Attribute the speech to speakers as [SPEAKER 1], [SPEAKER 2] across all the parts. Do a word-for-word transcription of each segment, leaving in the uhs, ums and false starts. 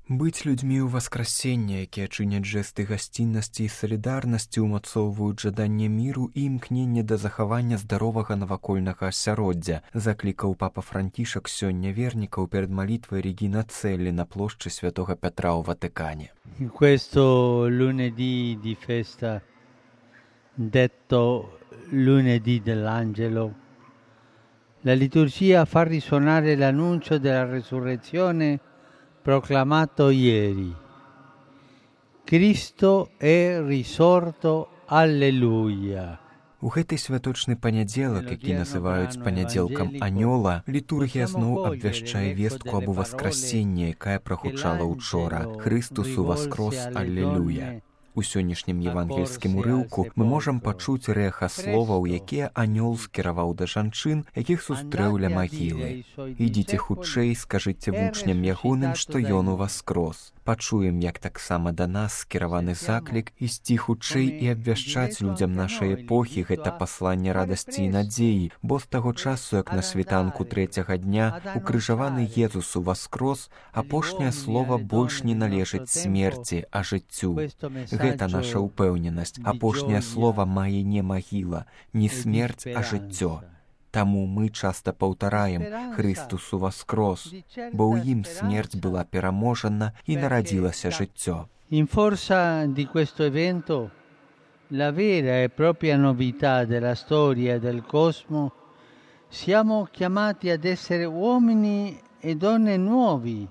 [SPEAKER 1] Быць людзьмі ў васкрасення, якія чыняць жэсты гасціннасці і салідарнасці, умацоўваюць жаданне міру і імкненне да захавання здаровага навакольнага асяроддзя, заклікаў папа Францішак сёння вернікаў перад малітвай Регіна Целлі на плошчы Святога Петра ў Ватыкане.
[SPEAKER 2] In questo lunedì di festa, detto lunedì dell'Angelo, la liturgia fa risuonare l'annuncio della resurrezione proclamato ieri. Cristo è risorto, alleluia.
[SPEAKER 1] У гэты святочны панядзелак, які называюць панядзелкам анёла, літургія зноў абвяшчае вестку аб уваскрасенні, якая прагучала ўчора. Хрыстус уваскрос, аллелуя. У сённяшнім евангельскім урыўку мы можам пачуць рэха словаў, якія анёл скіраваў да жанчын, якіх сустрэў ля магілы. «Ідзіце хутчэй, скажыце вучням ягоным, што ён уваскрос». Пачуем, як таксама да нас скіраваны заклік ісці хутчэй і абвяшчаць людзям нашай эпохі гэта пасланне радасці і надзеі, бо з таго часу, як на світанку трэцяга дня укрыжаваны Езус уваскрос, апошняе слова больш не належыць смерці, а жыццю. Гэта наша ўпэўненасць. Апошняе слова мае не магіла, не смерць, а жыццё. Таму мы часта паўтараем «Христус уваскрос», бо ў ім смерць была пераможана і нарадзілася жыццё.
[SPEAKER 2] In forza di questo evento, la vera e propria novità della storia del cosmo, siamo chiamati ad essere uomini e donne nuovi,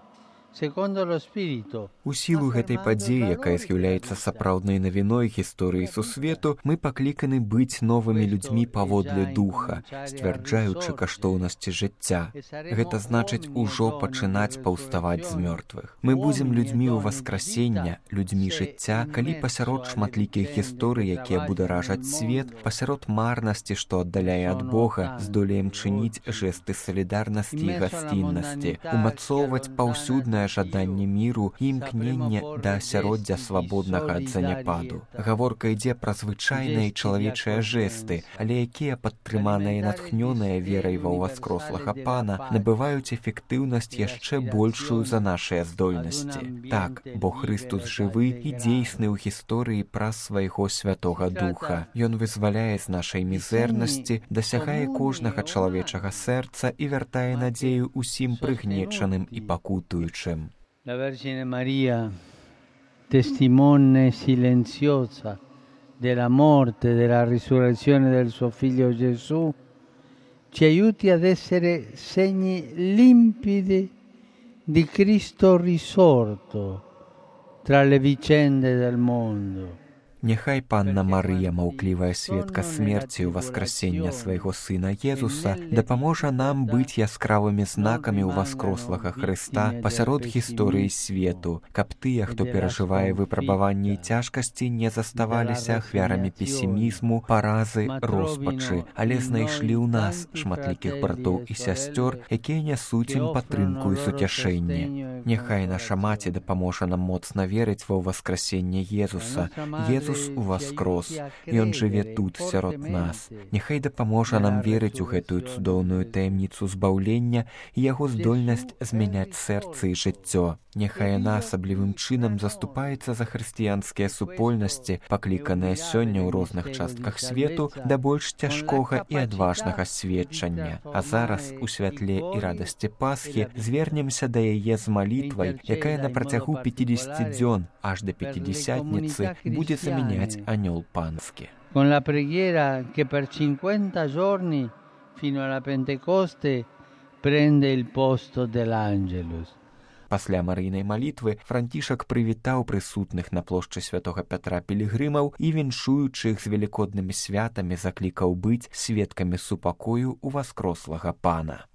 [SPEAKER 2] secondo lo Spirito.
[SPEAKER 1] У сілу гэтай падзеі, якая з'яўляецца сапраўднай навіной гісторыі сусвету, мы пакліканы быць новымі людзьмі паводле духа, сцвярджаючы каштоўнасці жыцця. Гэта значыць ужо пачынаць паўставаць з мёртвых. Мы будзем людзьмі ў васкрасення, людзьмі жыцця, калі пасярод шматлікіх гісторый, якія бударажаць свет, пасярод марнасці, што аддаляе ад Бога, здолеем чыніць жэсты салідарнасці і гасціннасці, умацоўваць паўсюднае жаданне міру і імкненне да асяроддзя свабоднага ад заняпаду. Гаворка ідзе пра звычайныя чалавечыя жэсты, але якія, падтрыманыя і натхнёныя верай ва ўваскрослага Пана, набываюць эфектыўнасць яшчэ большую за нашыя здольнасці. Так, бо Хрыстус жывы і дзейсны ў гісторыі праз свайго Святога Духа. Ён вызваляе з нашай мізэрнасці, дасягае кожнага чалавечага сэрца і вяртае надзею усім прыгнечаным і пакутуючым.
[SPEAKER 2] La Vergine Maria, testimone silenziosa della morte e della risurrezione del suo figlio Gesù, ci aiuti ad essere segni limpidi di Cristo risorto tra le vicende del mondo.
[SPEAKER 1] Няхай Панна Марыя, маўклівая сведка смерці ў васкрасення свайго сына Езуса, дапаможа нам быць яскравымі знакамі ўваскрослага Хрыста пасярод гісторыі свету, каб тыя, хто перажывае выпрабаванні і цяжкасці, не заставаліся ахвярамі песімізму, паразы, роспачы, але знайшлі ў нас шматлікіх братоў і сясцёр, якія нясуць ім падтрымку і суцяшэнне. Няхай наша маці дапаможа нам моцна верыць ва ўваскрасенне Езуса. Езус уваскрос, ён жыве тут, сярод нас. Няхай дапаможа нам верыць у гэтую цудоўную таямніцу збаўлення і яго здольнасць змяняць сэрцы і жыццё. Няхай яна асаблівым чынам заступаецца за хрысціянскія супольнасці, пакліканыя сёння ў розных частках свету да больш цяжкога і адважнага сведчання. А зараз, у святле і радасці Пасхі, звернемся да яе з малітвай, якая на працягу пяцідзесяці дзён аж да пятидесятницы будзе замяняць анёл панскі.
[SPEAKER 2] Con la preghiera che per cinquanta giorni fino alla Pentecoste prende il posto dell'Angelus.
[SPEAKER 1] Пасля марыйнай малітвы Францішак прывітаў прысутных на плошчы Святога Пятра пілігрымаў і, віншуючы іх з велікоднымі святамі, заклікаў быць сведкамі супакою ўваскрослага Пана.